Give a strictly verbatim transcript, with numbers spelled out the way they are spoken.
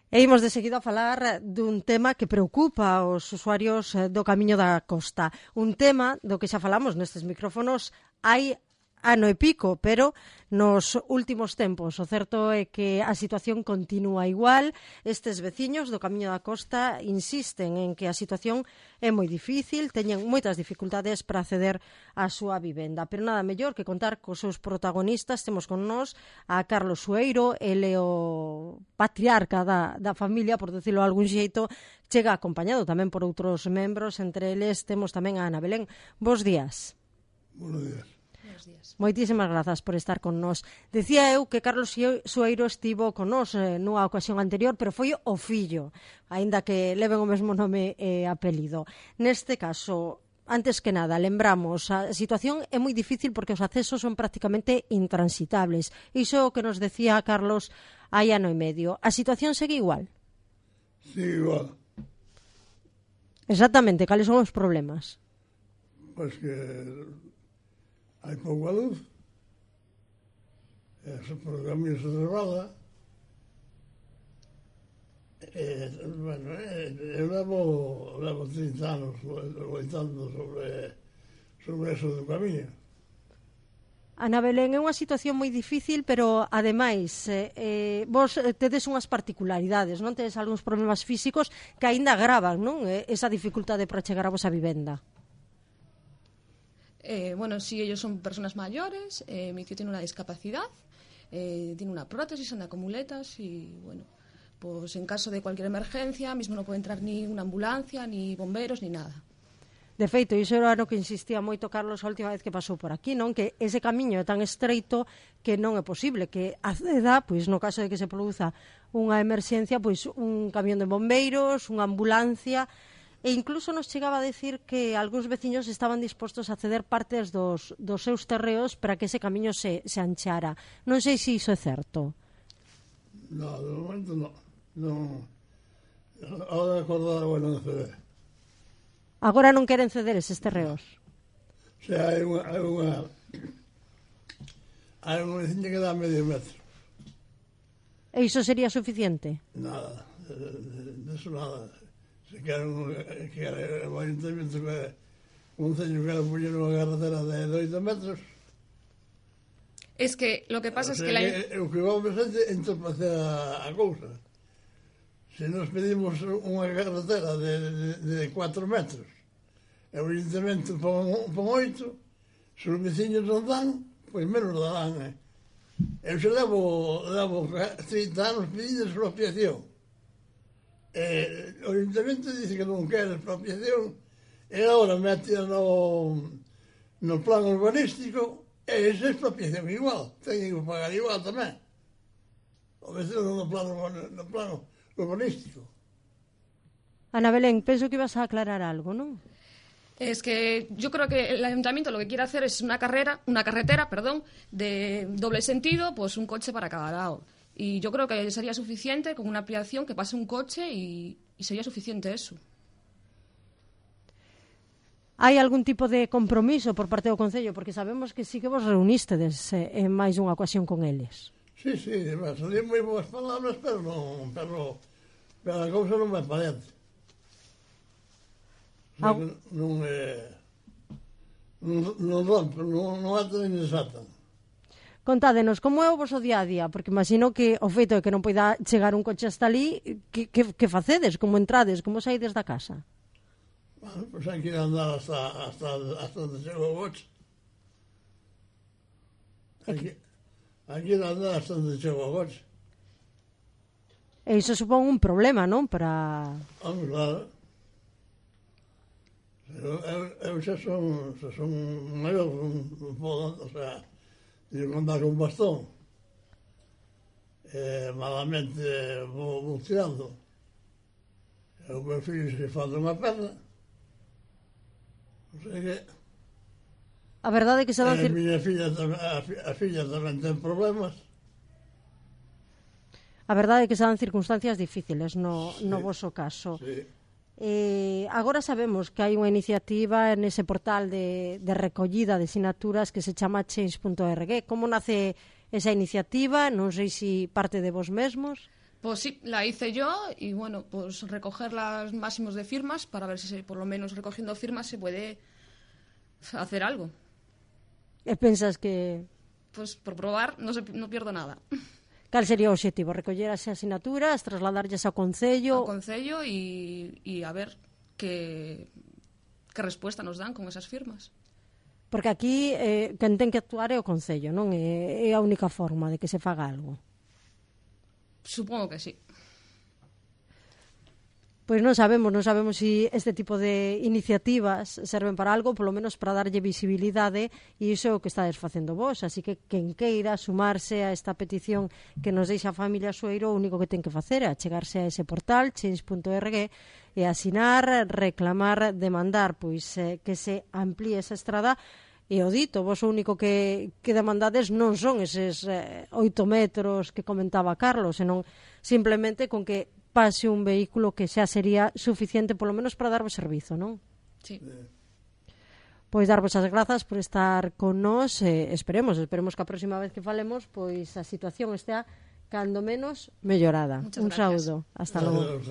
E imos de seguido a falar dun tema que preocupa aos usuarios do Camiño da Costa. Un tema do que xa falamos nestes micrófonos hai ano e pico, pero nos últimos tempos o certo é que a situación continúa igual. Estes veciños do Camiño da Costa insisten en que a situación é moi difícil, teñen moitas dificultades para acceder á súa vivenda, pero nada mellor que contar cos seus protagonistas. Temos con nós a Carlos Sueiro, ele o patriarca da, da familia, por decirlo de algún xeito, chega acompañado tamén por outros membros, entre eles temos tamén a Ana Belén. Bos días. Buenos días. Moitísimas grazas por estar con nós. Decía eu que Carlos Sueiro estivo con nós eh, nunha ocasión anterior, pero foi o fillo, aínda que leven o mesmo nome e apelido. Neste caso, antes que nada, lembramos, a situación é moi difícil porque os accesos son prácticamente intransitables. Iso é o que nos decía Carlos hai ano e medio. A situación segue igual? Sí, igual. Exactamente, cales son os problemas? Pois que hai pouca luz, e por o camiño se resbala, e, bueno, eu levo, levo trinta anos loitando sobre, sobre eso do camiño. Ana Belén, é unha situación moi difícil, pero ademais eh, eh, vos tedes unhas particularidades, non? Tedes algúns problemas físicos que aínda agravan, non? Esa dificultade para chegar a vosa vivenda. Eh, bueno, sí, ellos son personas mayores, eh, mi tío tiene una discapacidad, eh, tiene una prótesis, anda con muletas y, bueno, pues en caso de cualquier emergencia, mismo no puede entrar ni una ambulancia, ni bomberos, ni nada. De feito, iso era no que insistía moito Carlos a última vez que pasou por aquí, non? Que ese camiño é tan estreito que non é posible que acceda, pois no caso de que se produza unha emerxencia, pois un camión de bombeiros, unha ambulancia. E incluso nos chegaba a decir que algúns veciños estaban dispostos a ceder partes dos, dos seus terreos para que ese camiño se, se anchara. Non sei se iso é certo. No, de momento no. no. Ahora acordar, bueno, ceder. Agora non queren ceder eses terreos? O sea, hai unha... Hai unha, hai unha veciña que dá medio metro. E iso sería suficiente? Nada, de, de, de eso nada. Se quedan, que o ayuntamiento que un ceño que poñer unha carretera de oito metros. Es que lo que pasa o sea, es que... La... que o que vamos a hacer entorpecer a, a cousa. Se nos pedimos unha carretera de, de, de cuatro metros e o ayuntamiento pon, pon oito, se os veciños non dan, pois menos darán. Eh? Eu se levo, levo trinta anos pedindo expropiación. Eh, o ayuntamiento dice que non quere expropiación e agora mete no, no plan urbanístico e esa expropiación igual, teñen que pagar igual tamén o vecino no plano, no plano urbanístico. Ana Belén, penso que ibas a aclarar algo, non? Es que yo creo que el ayuntamiento lo que quiere hacer es una carrera, una carretera, perdón, de doble sentido, pues un coche para cada lado. Y yo creo que sería suficiente con una ampliación que pase un coche y, y sería suficiente eso. Hai algún tipo de compromiso por parte do Concello? Porque sabemos que sí que vos reunístedes eh, en máis unha ocasión con eles. Sí, sí, salían moi boas palabras, pero non, pero, pero a cousa non vai para dentro. O sea, non, non, eh, non, non rompe, non, non ata nin desatan. Contádenos, como é o voso día a día? Porque imagino que o feito de que non poida chegar un coche hasta ali, que, que, que facedes? Como entrades? Como saides da casa? Bueno, pois pues hai que ir a andar hasta, hasta, hasta onde chega o coche. Hai que, hai que ir a andar hasta onde chega o coche. E iso supón un problema, non? Para... Vamos, claro. Eu, eu, eu xa son, xa son maior, non podo, o sea... Tenho que andar con bastón. Eh, malamente vou, vou tirando. E o meu filho se falta unha perna. O sea que... A verdade é que se dan... A miña filla, a, a filla tamén ten problemas. A verdade é que se dan circunstancias difíciles no, sí, no voso caso. Sí. Eh, agora sabemos que hai unha iniciativa nese portal de, de recollida de sinaturas que se chama change punto org. Como nace esa iniciativa? Non sei se parte de vos mesmos. Pues sí, la hice yo y bueno, pues recoger los máximos de firmas para ver si se, por lo menos recogiendo firmas se puede hacer algo. E pensas que... Pues por probar no, se, no pierdo nada. Cal sería o obxectivo? Recoller as asinaturas, trasladarlles ao Concello? Ao Concello e, e a ver que, que resposta nos dan con esas firmas. Porque aquí eh, quen ten que actuar é o Concello, non? É, é a única forma de que se faga algo. Supongo que sí. Pois non sabemos, non sabemos se si este tipo de iniciativas serven para algo, polo menos para darlle visibilidade, e iso é o que estades facendo vos, así que quen queira sumarse a esta petición que nos deixa a familia Sueiro, o único que ten que facer é achegarse a ese portal change punto org e asinar, reclamar, demandar pois eh, que se amplíe esa estrada. E o dito, vos o único que, que demandades non son eses eh, oito metros que comentaba Carlos, senón simplemente con que pase un vehículo que xa sería suficiente polo menos para darvos servizo, non? Sí. Pois darvos as grazas por estar con nós, eh, esperemos, esperemos que a próxima vez que falemos pois a situación estea cando menos mellorada. Muchas un gracias. saúdo, hasta logo.